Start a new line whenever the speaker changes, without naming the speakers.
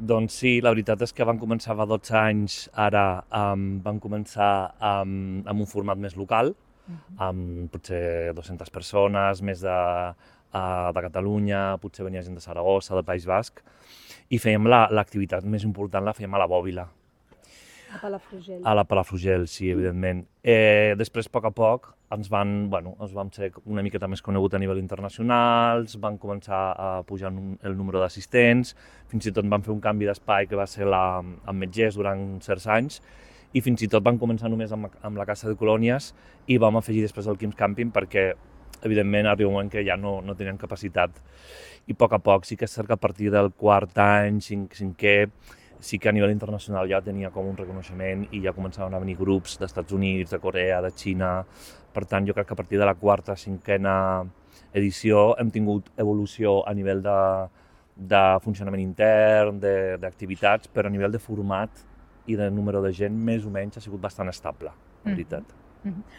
Doncs sí, la veritat és que van començar fa 12 anys, ara van començar amb un format més local, amb potser 200 persones, més de Catalunya, potser venia gent de Saragossa, del País Basc, i fèiem l'activitat més important la fèiem a la Bòbila,
A Palafrugell.
a la Palafrugell, sí, evidentment. Després, a poc, ens vam ser una miqueta més conegut a nivell internacional, van començar a pujar el número d'assistents, fins i tot van fer un canvi d'espai que va ser amb Metgers durant certs anys, i fins i tot van començar només amb la Casa de Colònies i vam afegir després el Quim's Camping perquè, evidentment, arriba un moment que ja no tenien capacitat. I a poc sí que és cert que a partir del quart any, cinquè, sí que a nivell internacional ja tenia com un reconeixement i ja començaven a venir grups d'Estats Units, de Corea, de Xina. Per tant, jo crec que a partir de la quarta, cinquena edició hem tingut evolució a nivell de funcionament intern, d'activitats, però a nivell de format i de número de gent, més o menys, ha sigut bastant estable, la veritat.